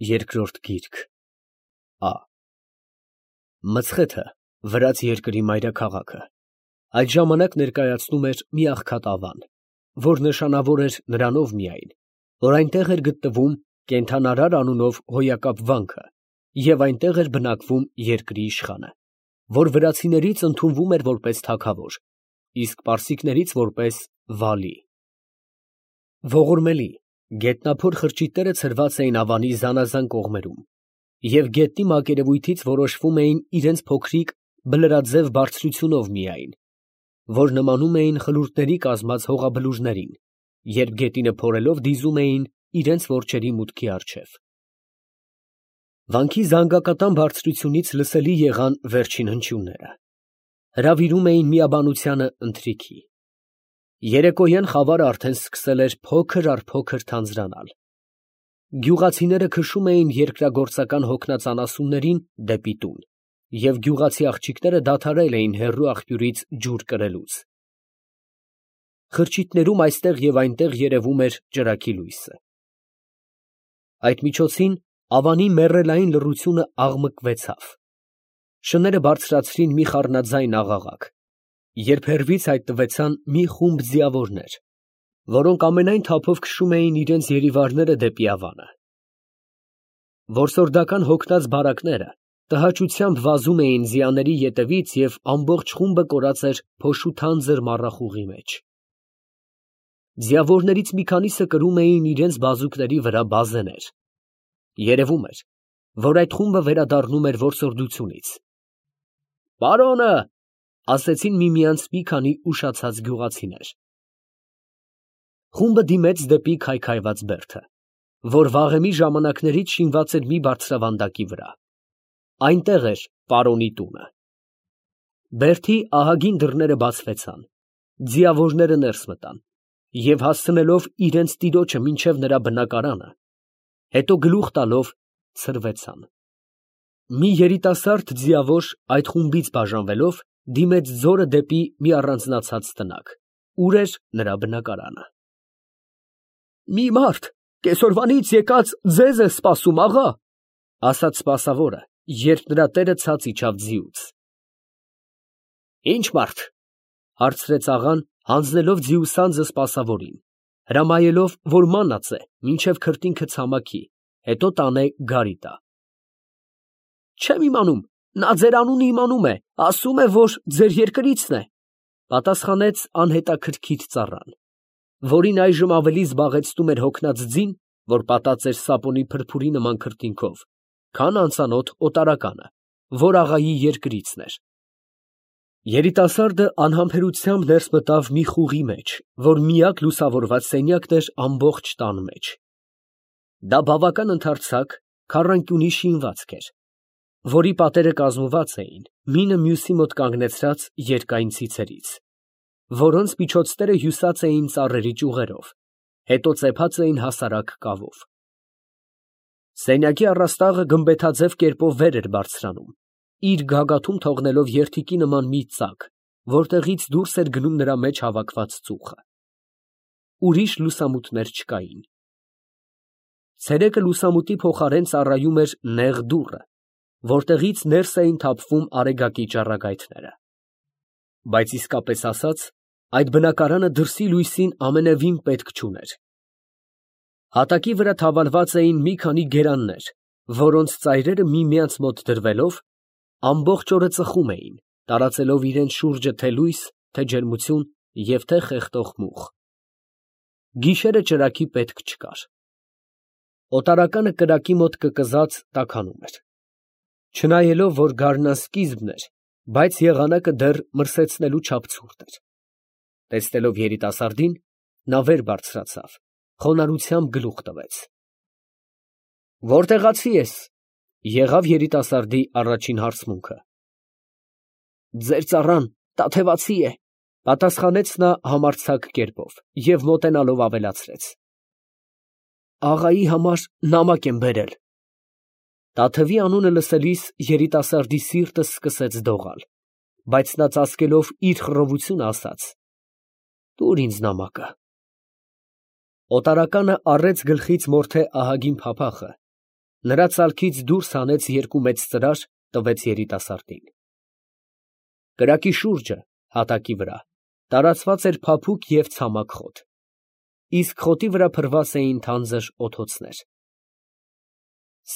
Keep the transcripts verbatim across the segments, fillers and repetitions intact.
Երկրորդ գիրք Ա Մցխեթը, վրաց երկրի մայրաքաղաքը, այդ ժամանակ ներկայացնում էր մի աղքատ ավան, որ նշանավոր էր նրանով միայն, որ այնտեղ էր գտնվում կենդանարար անունով հոյակապ վանքը և այնտեղ էր բնակվում երկրի իշխանը, որ վրացիներից ընդունվում էր որպես թագավոր, իսկ պարսիկներից որպես վալի։ Ողորմելի, գետնափոր խրճիթները ցրված էին ավանի զանազան կողմերում և գետնի մակերևույթից որոշվում էին իրենց փոքրիկ բլրաձև բարձրությունով միայն, որ նմանում էին խլուրտների կազմած հողաբլուրներին, երբ գետինը փորելով դիզում էին իրենց որջերի մուտքի առջև։ Վանքի զանգակատան բարձրությունից լսելի եղան վերջին հնչյունները, հրավիրում էին միաբանությանը ընթրիքի։ Երեկոյան խավարը արդեն սկսել էր փոքր առ փոքր թանձրանալ։ Գյուղացիները քշում էին երկրագործական հոգնածանասուններին դեպի տուն, և գյուղացի աղջիկները դադարել էին հեռու աղբյուրից ջուր կրելուց։ Խրճիթներում այստեղ և այնտեղ երևում էր ճրագի լույսը։ Այդ միջոցին ավանի մեռելային լռությունը աղմկվեցավ։ Շները բարձրացրին մի խառնաձայն աղաղակ, երբ հեռվից հայտնվեցան մի խումբ ձիավորներ, որոնք ամենայն թափով քշում էին իրենց երիվարները դեպի ավանը։ Որսորդական հոգնած բարակները տհաճությամբ վազում էին ձիաների ետևից և ամբողջ խումբը կորած էր փոշու թանձր մառախուղի մեջ։ Ձիավորներից մի քանիսը կրում էին իրենց բազուկների վրա բազեներ։ Երևում էր, որ այդ խումբը վերադառնում էր որսորդությունից։ «Պարոնը», ֊ ասեցին միմյանց մի քանի ուշացած գյուղացիներ։ Խումբը դիմեց դեպի քայքայված բերդը, որ վաղեմի ժամանակներից շինված էր մի բարձրավանդակի վրա։ Այնտեղ էր պարոնի տունը։ Բերդի ահագին դռները բացվեցան, ձիավորները ներս մտան և հասցնելով իրենց տիրոջը մինչև նրա բնակարանը, հետո գլուխ տալով ցրվեցան։ Մի երիտասարդ ձիավոր այդ խումբից բաժանվելով դիմեց ձորը դեպի մի առանձնացած տնակ, ուր էր նրա բնակարանը։ «Մի մարդ կեսօրվանից եկած ձեզ է սպասում, աղա», ֊ ասաց սպասավորը, երբ նրա տերը ցած իջավ ձիուց։ «Ի՞նչ մարդ», ֊ հարցրեց աղան, հանձնելով ձիուսանձը սպասավորին, հրամայելով, որ մանած է մինչև քրտինքը ցամաքի, հետո տանե գարի տա։ «Չեմ իմանում, նա ձեր անունը իմանում է, ասում է, որ ձեր երկրիցն է», ֊ պատասխանեց անհետաքրքիր ծառան, որին այժմ ավելի զբաղեցնում էր հոգնած ձին, որ պատած էր սապոնի փրփուրի նման քրտինքով, քան անծանոթ օտարականը, որ աղայի երկրիցն էր։ Երիտասարդը անհամբերությամբ ներս մտավ մի խուղի մեջ, որ միակ լուսավորված սենյակն էր ամբողջ տան մեջ։ Դա բավական ընդարձակ քառանկյունի շինվածք էր, որի պատերը կազմված էին մինը մյուսի մոտ կանգնեցրած երկայն ցիցերից, որոնց միջոցները հյուսած էին ծառերի ճյուղերով, հետո ծեփած էին հասարակ կավով։ Սենյակի առաստաղը գմբեթաձև կերպով վեր էր բարձրանում, իր գագաթում թողնելով երթիկի նման մի ծակ, որտեղից դուրս էր գնում նրա մեջ հավաքված ծուխը։ Ուրիշ լուսամուտներ չկային։ Ցերեկը լուսամուտի փոխարեն ծառայում էր նեղ դուռը, որտեղից ներս էին թափվում արեգակի ճառագայթները։ Բայց իսկապես ասած, այդ բնակարանը դրսի լույսին ամենևին պետք չուներ։ Հատակի վրա թավալված էին մի քանի գերաններ, որոնց ծայրերը միմյանց մոտ դրվելով, ամբողջ օրը ծխում էին, տարածելով իրենց շուրջը թե լույս, թե ջերմություն և թե խեղդող մուխ։ Գիշերը ճրագի պետք չկար։ Օտարականը կրակի մոտ կկզած տաքանում էր։ Չնայելով, որ գարնանսկիզբն էր, բայց եղանակը դեռ մրսեցնելու չափ ցուրտ էր։ Տեսնելով երիտասարդին, նա վեր բարձրացավ, խոնարհությամբ գլուխ տվեց։ «Որտեղացի ես», ֊ եղավ երիտասարդի առաջին հարցմունքը։ «Ձեր ծառան տաթևացի է», ֊ պատասխանեց նա համարձակ կերպով և մոտենալով ավելացրեց. «Աղայի համար նամակ եմ բերել»։ Տաթևի անունը լսելիս երիտասարդի սիրտը սկսեց դողալ, բայց նա ծածկելով իր խռովությունը ասաց. «Տուր ինձ նամակը»։ Օտարականը առեց գլխից մորթե ահագին փափախը Նրա ծալքից դուրս հանեց երկու մեծ ծրար, տվեց երիտասարդին։ Կրակի շուրջը, հատակի վրա, տարածված էր փափուկ և ցամաք խոտ, իսկ խոտի վրա փռված էին թանձր օդոցներ։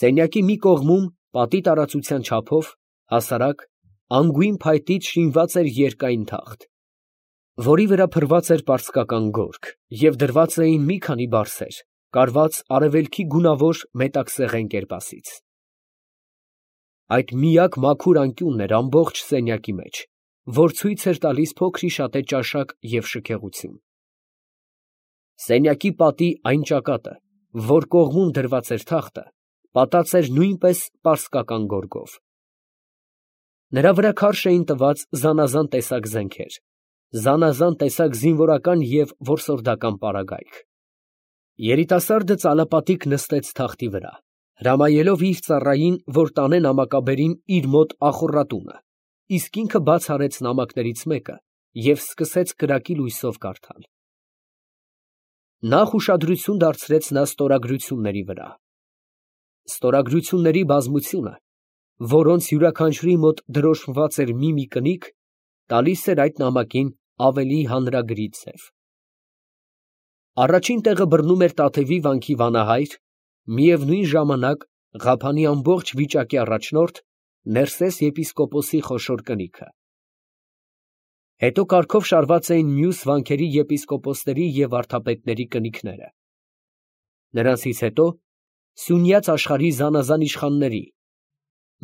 Սենյակի մի կողմում, պատի տարածության չափով, հասարակ, անգույն փայտից շինված էր երկայն թախտ, որի վրա փռված էր պարսկական գորգ և դրված էին մի քանի բարսեր, կարված արևելքի գունավոր մետաքսեղեն կերպասից։ Այդ միակ մաքուր անկյունն էր ամբողջ սենյակի մեջ, որ ցույց էր տալիս փոքրիշատե ճաշակ և շքեղություն։ Սենյակի պատի այն ճակատը, որ կողմում դրված էր թախտը, պատած էր նույնպես պարսկական գորգով։ Նրա վրա քարշ էին տված զանազան տեսակ զենքեր, զանազան տեսակ զինվորական և որսորդական պարագայք։ Երիտասարդը ծալապատիկ նստեց թախտի վրա, հրամայելով իր ծառային, որ տանե նամակաբերին իր մոտ ախոռատունը, իսկ ինքը բաց արեց նամակներից մեկը և սկսեց կրակի լույսով կարդալ։ Նախ ուշադրություն դարձրեց նա ստորագրությունների վրա։ Ստորագրությունների բազմությունը, որոնց յուրաքանչյուրի մոտ դրոշմված էր մի֊մի կնիկ, տալիս էր այդ նամակին ավելի հանրագրի ձև։ Առաջին տեղը բռնում էր Տաթևի վանքի վանահայր, միևնույն ժամանակ Ղափանի ամբողջ վիճակի առաջնորդ Ներսես եպիսկոպոսի խոշոր կնիքը։ Հետո կարգով շարված էին մյուս վանքերի եպիսկոպոսների և վարդապետների կնիկները։ Նրանցից հետո Սյունյաց աշխարհի զանազան իշխանների,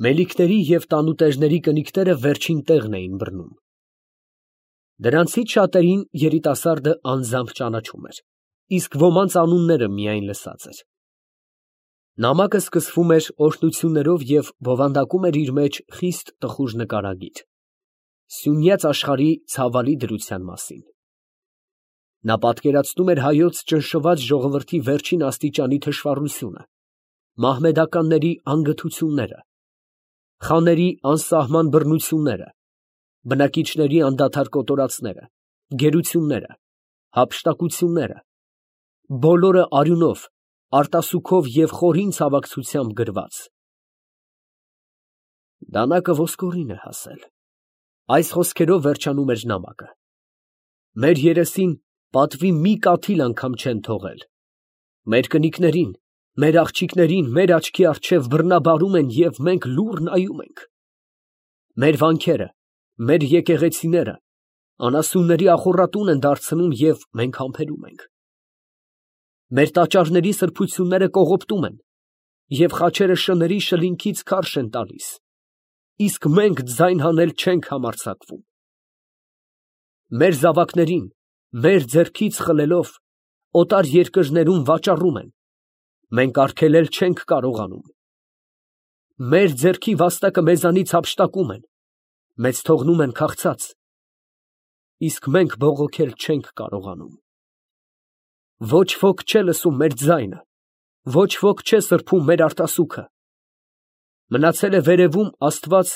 մելիքների և տանուտերների կնիկները վերջին տեղն էին բռնում։ Դրանցից շատերին երիտասարդը անձամբ ճանաչում էր, իսկ ոմանց անունները միայն լսած էր։ Նամակը սկսվում էր օրհնություններով և բովանդակում էր իր մեջ խիստ տխուր նկարագիր՝ Սյունյաց աշխարհի ցավալի դրության մասին։ Նա պատկերացնում էր հայոց ճնշված ժողովրդի վերջին աստիճանի թշվառությունը, մահմեդականների անգթությունները, խաների անսահման բռնությունները, բնակիչների անդադար կոտորածները, գերությունները, հափշտակությունները, բոլորը արյունով, արտասուքով և խորին ցավակցությամբ գրված։ Դանակը ոսկորին է հասել։ Այս խոսքերով վերջանում էր նամակը։ Մեր երեսին պատվի մի կաթիլ անգամ չեն թողել։ Մեր կնիկներին, մեր աղջիկներին մեր աչքի առջև բռնաբարում են և մենք լուռ նայում ենք։ Մեր վանքերը, մեր եկեղեցիները անասունների ախոռատուն են դարձնում և մենք համբերում ենք։ Մեր տաճարների սրբությունները կողոպտում են և խաչերը շների շլինքից քարշ են տալիս, իսկ մենք ձայն հանել չենք համարձակվում։ Մեր զավակներին մեր ձեռքից խլելով օտար երկրներում վաճառում են, մենք արգելել չենք կարողանում։ Մեր ձեռքի վաստակը մեզանից հափշտակում են, մեզ թողնում են քաղցած, իսկ մենք բողոքել չենք կարողանում։ Ոչ ոք չէ լսում մեր ձայնը, ոչ ոք չէ սրբում մեր արտասուքը։ Մնացել է վերևում Աստված,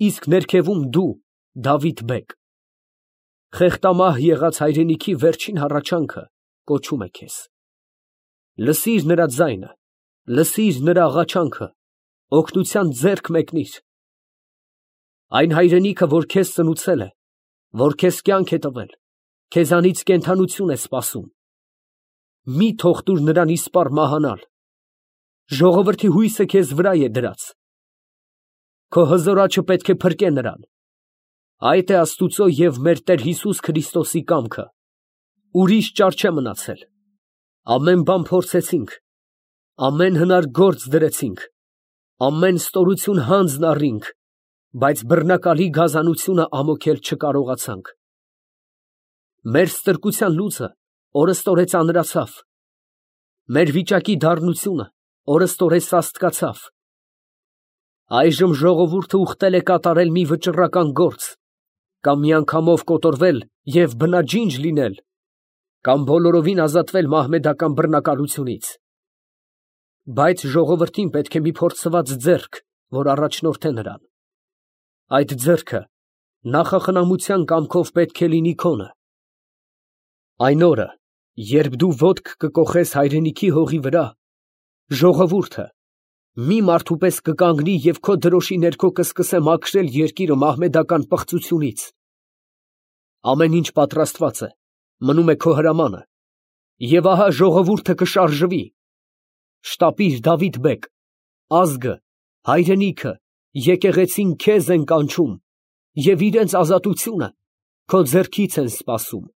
իսկ ներքևում դու, Դավիթ բեգ։ Խեղտամահ եղած հայրենիքի վերջին հառաչանքը կոչում է քեզ։ Լսիր նրա ձայնը, լսիր նրա աղաչանքը, օգնության ձեռք մեկնիր։ Այն հայրենիքը, որ քեզ ծնուցել է, որ քեզ կյանք է տվել, քեզանից կենդանություն է սպասում։ Մի թող տուր նրան իսպառ մահանալ։ Ժողովրդի հույսը քեզ վրա է դրած։ Քո հզոր աջը պետք է փրկե նրան։ Այդ է Աստուծո և մեր Տեր Հիսուս Քրիստոսի կամքը։ Ուրիշ ճար չէ մնացել։ Ամեն բան փորձեցինք, ամեն հնար գործ դրեցինք, ամեն ստորություն հանձն առրինք, բայց բռնակալի գազանությունը ամոքել չկարողացանք։ Մեր ստրկության լուծը օրըստօրե ծանրացավ, մեր վիճակի դառնությունը օրըստօրե սաստկացավ։ Այժմ ժողովուրդը ուխտել է կատարել մի վճռական գործ, կամ միանգամով կոտորվել և բնաջինջ լինել, կամ բոլորովին ազատվել մահմեդական բռնակալությունից։ Բայց ժողովրդին պետք է մի փորձված ձեռք, որ առաջնորդե նրան։ Այդ ձեռքը նախախնամության կամքով պետք է լինի քոնը։ Այն օրը, երբ դու ոտք կկոխես հայրենիքի հողի վրա, ժողովուրդը, մի մարդու պես կկանգնի և քո դրոշի ներքո կսկսե մաքրել երկիրը մահմեդական պղծությունից։ Ամեն ինչ պատրաստված է, մնում է քո հրամանը, և ահա ժողովուրդը կշարժվի։ Շտապիր, Դավիթ բեգ, ազգը, հայրենիքը, եկեղեցին քեզ են կանչում և իրանց ազատությունը քո ձեռքից են սպասում։